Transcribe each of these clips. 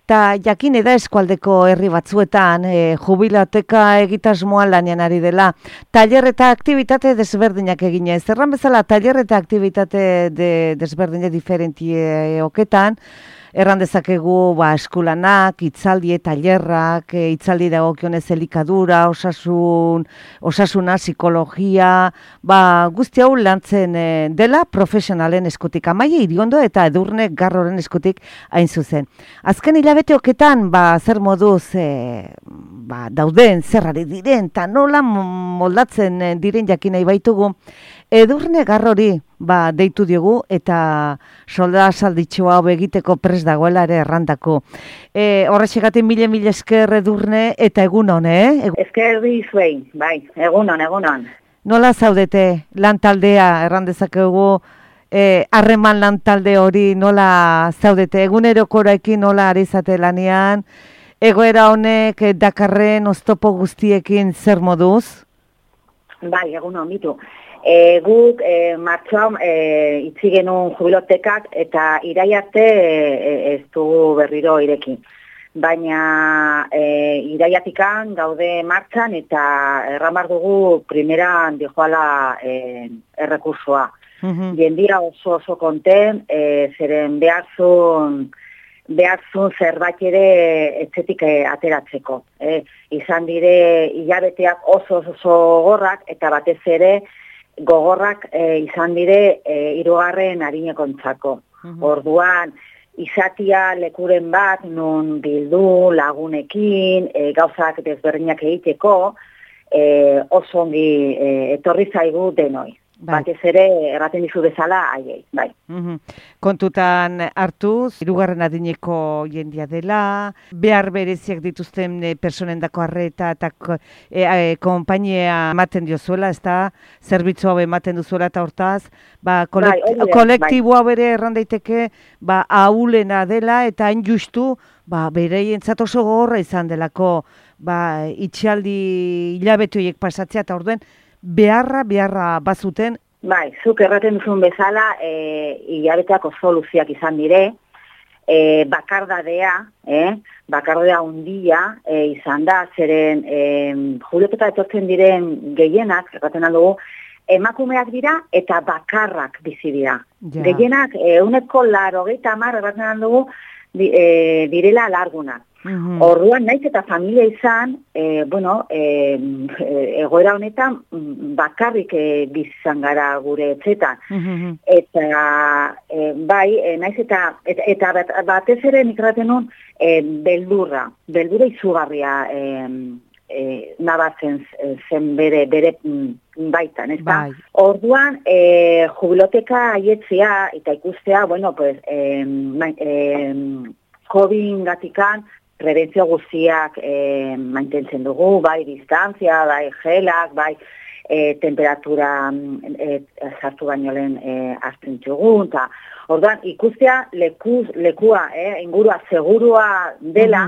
Ta jakin da eskualdeko herri batzuetan, jubilateka egitasmoan lanean ari dela, tailer eta aktibitate desberdinak eginez. Erran bezala, tailer eta aktibitate desberdinak diferentioketan, erran dezakegu eskulanak, itzaldi, tailerrak, itzaldi dagokionez elikadura, osasuna, psikologia, guzti hau lantzen dela profesionalen eskutik. Amaia Iriondo eta Edurne Garroren eskutik hain zuzen. Azken hilabeteoketan, zer moduz dauden, zerrari diren, eta nola moldatzen diren jakin nahi baitugu, Edurne Garrori deitu diogu eta solda salditxoa hau egiteko prest dagoela ere errandako. Horrexegatik mila esker Edurne eta egunon, Esker dizuei, bai, egunon. Nola zaudete lantaldea errandezakegu, harreman lantalde hori nola zaudete, egunerokoraekin nola ari zate lanean, egoera honek dakarren oztopo guztiekin zer moduz? Bai, egunon, bitu. Guk martxoan itzi genuen jubilotekak eta iraiarte ez dugu berriro ireki. Baina iraiatikan gaude martxan eta erramar dugu primeran dijoala errekursua. Jendia oso konten, zeren beharzun zerbait ere etxetik ateratzeko. Izan dire hilabeteak oso gogorrak eta batez ere gogorrak izan dire hirugarren arinekontzako. Orduan, izatia lekuren bat, nun bildu lagunekin, gauzak desberdinak egiteko, oso ongi etorri zaigu denoi. Batez ere, erraten dizu bezala, aiei, bai. Kontutan hartuz, hirugarren adineko jendia dela, behar bereziak dituzten personendako arreta eta konpainia ematen diozuela, ez da, zerbitzu hau ematen duzuela eta hortaz, kolektibo hau ere erran daiteke, ahulena dela eta hain justu, bereientzat oso gogorra izan delako, itxialdi hilabete horiek pasatzea eta orduen, beharra bazuten. Bai, zuk erraten duzun bezala, hilabeteak oso luziak izan dire, bakardadea hundia izan da, zeren jubilotuta etortzen diren gehienak, erraten aldugu, emakumeak dira eta bakarrak bizi dira. Gehienak, 80% erraten aldugu, direla largunak. Orduan, naiz eta familia izan, egoera honetan bakarrik bizizan gara gure etxetan. Eta, naiz eta batez ere nik erraten nun, beldurra izugarria nabatzen zen bere baitan, ez da? Orduan, jubiloteka aietzea eta ikustea, COVID-gatikan, prebentzio guztiak mantentzen dugu, bai distantzia, bai gelak, bai temperatura sartu baino lehen azten txugun. Orduan, ikustea lekua, ingurua segurua dela,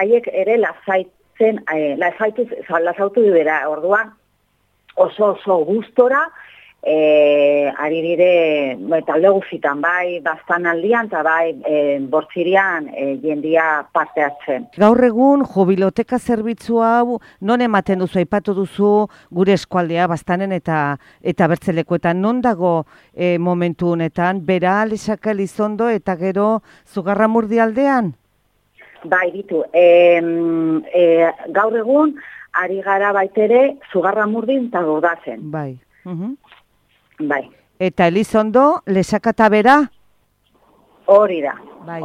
haiek ere lasautu dira. Orduan, oso gustora, ari dire talde guztitan, bai bastan aldian eta bai bortzirian jendia parte hartzen. Gaur egun jubiloteka zerbitzu hau non ematen duzu, aipatu duzu gure eskualdea bastanen eta bertzelekuetan, non dago momentu honetan, Bera, Lesaka, Elizondo eta gero Zugarramurdi aldean? Bai, ditu, gaur egun ari gara baitere Zugarramurdin eta Gordazen. Bai. Bai. Eta Elizondo, Lesaka eta Bera? Hori da, bai.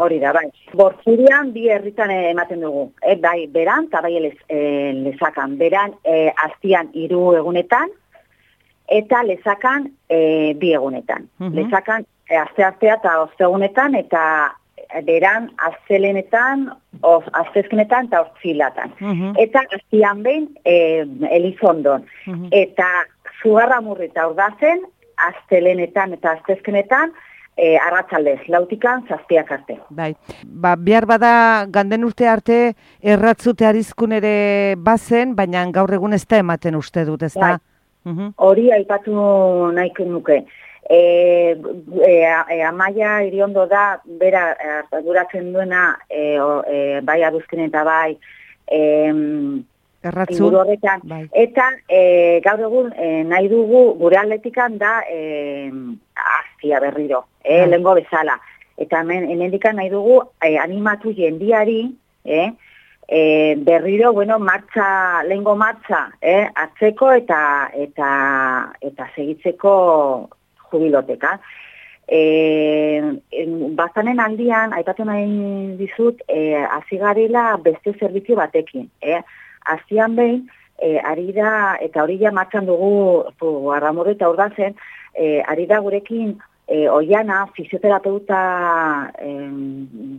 Bortzirian bi herritan ematen dugu. Bai, Beran eta bai Lesakan. Beran aztian 3 egunetan eta Lesakan 2 egunetan. Lesakan asteartea eta ostegunetan eta Beran astelenetan, astezkenetan eta ostzilatan. Eta aztian behin Elizondon. Eta Zugarramurdi eta Ordazen, astelenetan eta astezkenetan, arratsaldez, 4 zazpiak arte. Bai, behar bada ganden urte arte erratzute arizkun ere bazen, baina gaur egun ez da ematen uste dut, ez da? Hori aipatu nahiko nuke. Amaia Iriondo da, bera, arduratzen duena, bai aduzken eta bai, inguru horretan. Bai. Eta gaur egun nahi dugu gure atletikan da aztia berriro, lehengo bezala. Eta hemendikan nahi dugu animatu jendiari, berriro, bueno, lehengo martxa, hartzeko eta segitzeko jubiloteka. Bazanen aldian, aipatu nahi dizut, hasi garela beste zerbitzu batekin, Aztian behin, ari da, eta hori ja martxan dugu, Arramurru eta Urdazen, ari da gurekin Oiana, fisioterapeuta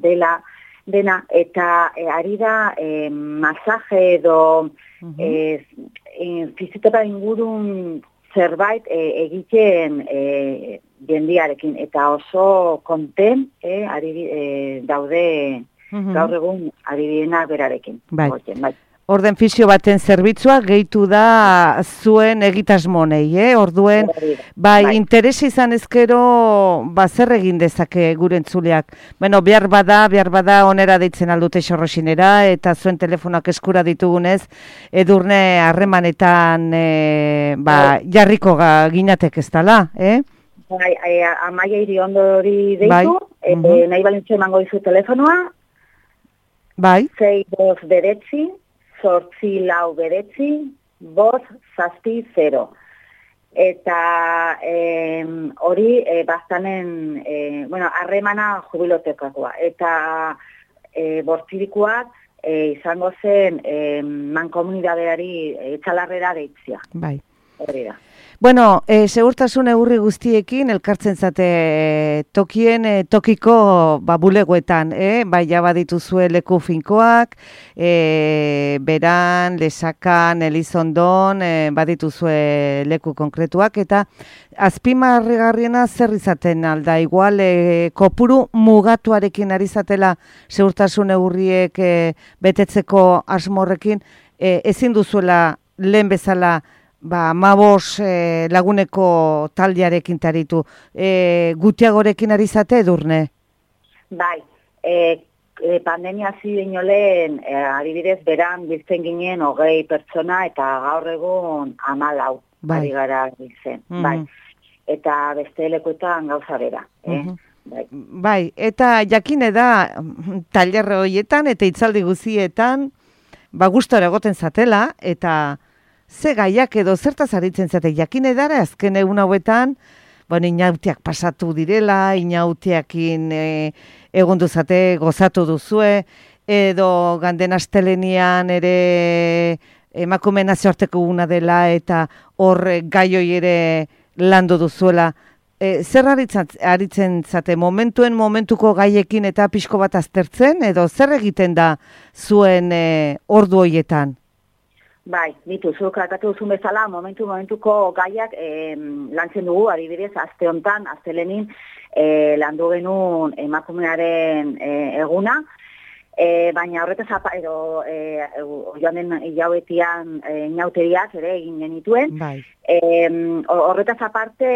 dena, eta ari da masaje edo fisioterapeuta ingurun zerbait egiten jendiarekin, eta oso konten daude gaur egun ari direnak berarekin. Bai. Orden fisio baten zerbitzua gehitu da zuen egitasmonei, Orduen, bai, interesi izan ezkero, zer egin dezake gure entzuleak. Bueno, behar bada onera deitzen aldute Xorroxinera, eta zuen telefonak eskura ditugunez, Edurne harremanetan jarriko ginatek ez dala, Bai, Amaia Iriondori deitu, nahi balintzu emango dizu telefonoa, bai, 629 849 560. Eta hori bastanen, harremana jubilotekoa. Eta bortzirikoak izango zen mankomunidadeari etxalarrera deitzia. Bai. Hori da. Bueno, segurtasun neurri guztiekin elkartzen zate tokiko bulegoetan, bai badituzue leku finkoak, Beran, Lesakan, Elizondon, badituzue leku konkretuak, eta azpimarrigarriena zer izaten alda, igual kopuru mugatuarekin ari zatela segurtasun neurriek betetzeko asmorrekin, ezin duzuela lehen bezala 15 laguneko taldearekin taritu. Gutiagorekin ari zate, Edurne? Bai, pandemia hasi baino lehen, adibidez, Beran biltzen ginen 20 pertsona eta gaur egun 14 ari gara biltzen. Bai. Eta beste lekuetan gauza bera. Bai, eta jakine da tailerre horietan eta hitzaldi guzietan gustora egoten zatela, eta ze gaiak edo zertaz aritzen zate, jakine dara azken egun hauetan, inautiak pasatu direla, inautiakin egondu zate, gozatu duzue, edo ganden astelenian ere emakume nazioarteko una dela, eta hor gaioi ere landu duzuela. Zer aritzen zate, momentuko gaiekin eta pixko bat aztertzen, edo zer egiten da zuen ordu horietan? Bai, zuk akatu duzun bezala, momentuko gaiak lantzen dugu, adibidez, aste hontan, astelenin, landu genuen emakumearen eguna, baina horretaz joan den hilabetian inauteriak ere egin genituen. Bai. Horretaz aparte,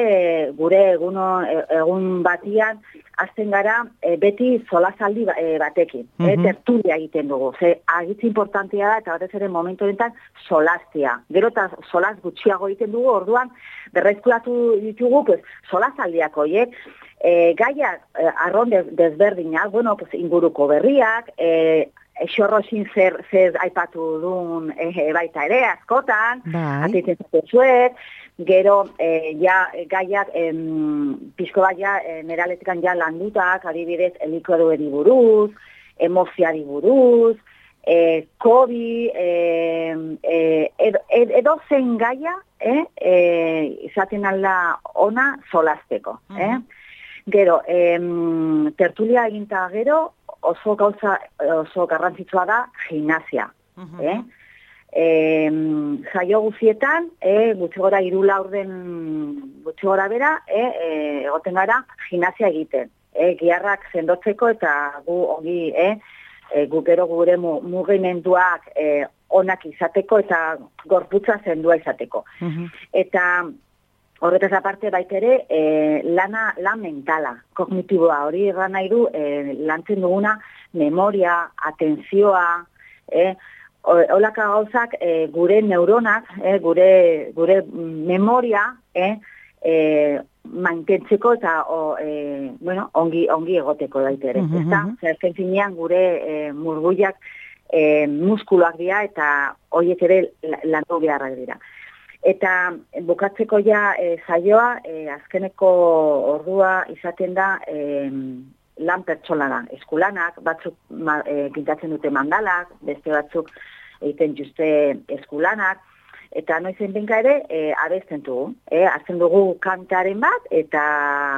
gure egun batian, azten gara beti solasaldi batekin, tertulia egiten dugu. Agitzi importantia da, eta batez ere momentu honetan solastia. Gero eta solas gutxiago egiten dugu, orduan berrezkulatu ditugu solasaldiak horiek, gaiak arron desberdinak, inguruko berriak, Xorroxin zer aipatu duen baita ere, askotan, atitzen zatezuet, gero gaiak pixko bat neraletikan landutak, adibidez, elikoedueri buruz, emozioari buruz, COVID, edo zein gaia, izaten alda ona solasteko. Gero, tertulia eginta gero, oso garrantzitsua da gimnasia. Jaio guzietan, gutxi gora 3 laurden gutxi gora bera, egoten gara gimnasia egiten. Giharrak sendotzeko eta gu ongi, gu gero gure mugimenduak onak izateko eta gorputza sendua izateko. Eta Horretaz aparte baitere, lan mentala, kognitiboa, hori erran nahi du, lantzen duguna, memoria, atentzioa, holaka gauzak gure neuronak, gure memoria, mantentzeko eta ongi egoteko daitere. Zerken finean gure murguiak muskuloak dira eta horiek ere landu beharrak dira. Eta bukatzeko ja saioa, azkeneko ordua izaten da lan pertsonala, eskulanak, batzuk pintatzen dute mandalak, beste batzuk egiten juste eskulanak, eta noizen benka ere abesten dugu. Hartzen dugu kantaren bat, eta,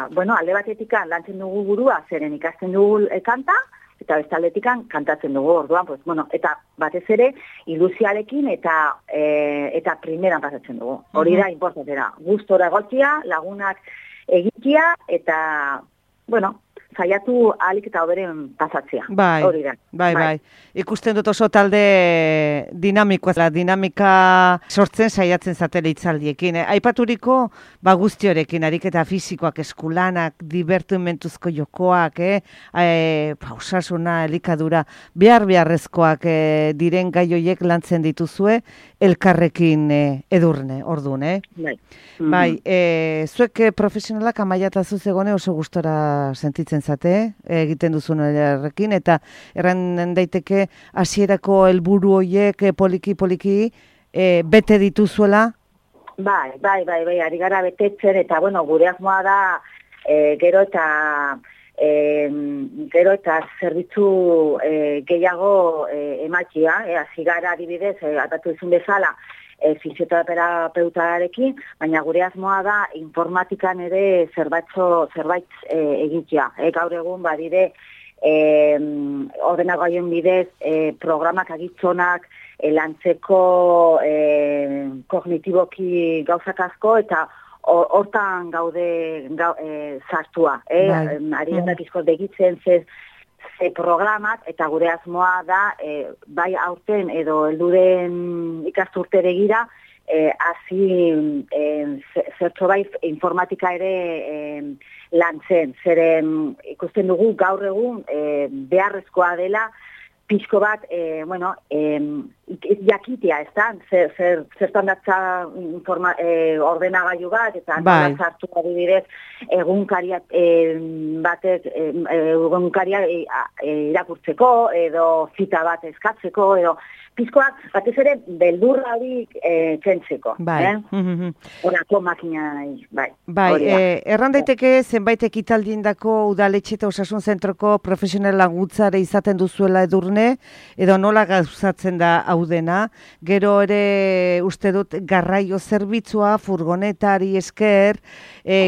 alde batetik lantzen dugu burua, zeren ikasten dugu kanta, eta bestaletikan kantatzen dugu orduan, eta batez ere ilusiarekin eta primeran pasatzen dugu. Hori da importantera. Gustora egotia, lagunak egitea eta, saiatu ahalik eta hoberen pasatzea. Hori da. Bai. Ikusten dut oso talde dinamikoa, dinamika sortzen saiatzen zatela hitzaldiekin. Aipaturiko guztiorekin, ariketa fisikoak, eskulanak, divertimentuzko jokoak, osasuna, elikadura, beharrezkoak diren gai horiek lantzen dituzue, elkarrekin edurne, orduan, Bai, zuek profesionalak amaiata zuzegone oso gustora sentitzen zate, egiten duzun errekin, eta erran daiteke hasierako helburu horiek poliki bete dituzuela? Bai, ari gara betetzen, eta gure asmoa da gero eta zerbitzu gehiago ematia, hasi gara adibidez, atatu izun bezala, fisioterapeutarekin, baina gure asmoa da informatikan ere zerbait egitea. Gaur egun badire ordenagailuaren bidez programak agitzonak lantzeko kognitiboki gauzak asko eta hortan gaude sartua. Ari gara pizkot begitzen ze programak eta gure asmoa da bai aurten edo helduren ikasturte begira hasi zertxo bai informatika ere lantzen. Zeren ikusten dugu gaur egun beharrezkoa dela pixko bat, jakitea, ez da? Zertan datza ordenagailu bat, eta nola sartu adibidez egunkaria irakurtzeko, edo zita bat eskatzeko, edo pixkoak batez ere beldurra hori kentzeko. Horako makina, bai. Erran daiteke zenbait ekitaldindako udaletxe eta osasun zentroko profesional laguntzare izaten duzuela edurne, edo nola gauzatzen da hau dena, gero ere uste dut garraio zerbitzua, furgonetari esker,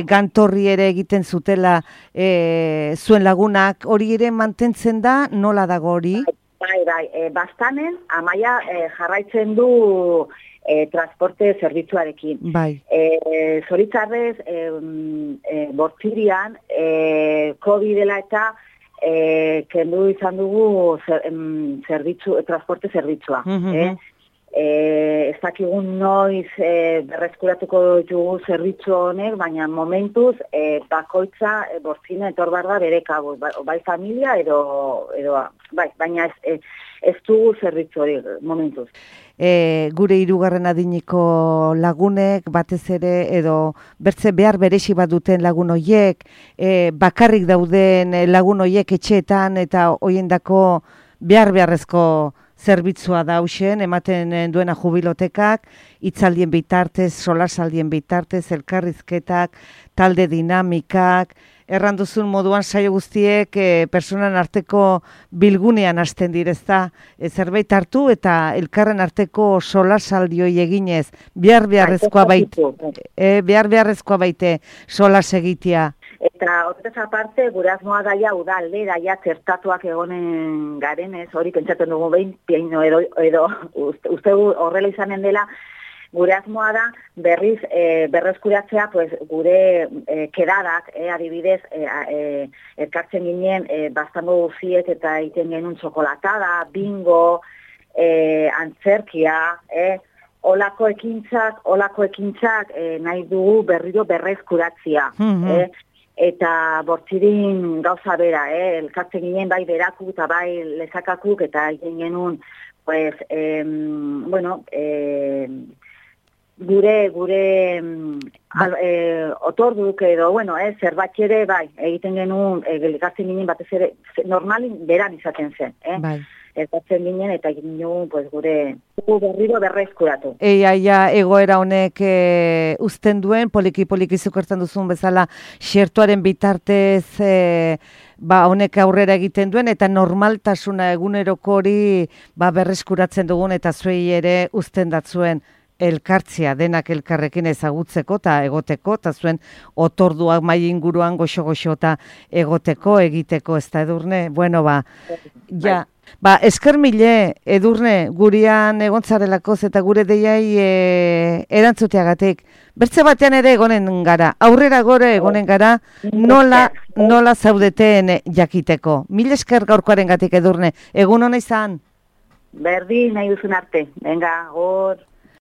gantorri ere egiten zutela zuen lagunak, hori ere mantentzen da, nola dago hori? Bai, bastanen amaia jarraitzen du transporte zerbitzuarekin. Zoritzarrez, bortzirian, COVID-dela eta kendu izan dugu transporte zerbitzua. Ez dakigun noiz berreskuratuko ditugu zerbitzu honek, baina momentuz bakoitza bortzina etor barda bere kabuz, bai familia edo baina ez dugu zerbitzu hori momentuz. Gure hirugarren adiniko lagunek, batez ere, edo bertze behar beresi bat duten lagun hoiek, bakarrik dauden lagun hoiek etxeetan eta hoiendako beharrezko zerbitzua da hausen, ematen duena jubilotekak, hitzaldien bitartez, solasaldien bitartez, elkarrizketak, talde dinamikak, erranduzun moduan saio guztiek personan arteko bilgunean hasten direzta, zerbait hartu eta elkarren arteko solasaldioi eginez, beharrezkoa baite solas egitea. Eta horretaz aparte, gure asmoa daia udalde, daia zertatuak egonen garenez, hori pentsatzen dugu behin, edo uste horrela izanen dela, gure asmoa da berriz berreskuratzea gure kedadak, adibidez, elkartzen ginen bastango guziet eta egiten genuen txokolatada, bingo, antzerkia, olako ekintzak nahi dugu berriro berrezkuratzia. Eta bortzirin gauza bera, elkartzen ginen bai berakuk eta bai lezakakuk, eta egin genuen, pues, gure otorduk edo, zerbait ere, bai, egiten genuen, elkartzen ginen batez ere, normalin beran izaten zen, Bai. Elkartzen ginen eta egin genuen, pues, gure berriro berrezkuratu. Egoera honek uzten duen, poliki zukertzen duzun bezala, xertuaren bitartez, honek aurrera egiten duen, eta normaltasuna eguneroko hori berreskuratzen dugun, eta zuei ere uzten datzuen elkartzea, denak elkarrekin ezagutzeko eta egoteko, eta zuen otorduak mai inguruan goxo-goxo eta egoteko, egiteko, ez da, Edurne? Bueno, esker mile, Edurne, gurean egontzarelakoz eta gure deiai erantzuteagatik. Bertze batean ere egonen gara, aurrera gore egonen gara, nola zaudeten jakiteko. Mil esker gaurkoaren gatik, Edurne, egun hona izan? Berdin, nahi duzun arte. Venga, gor.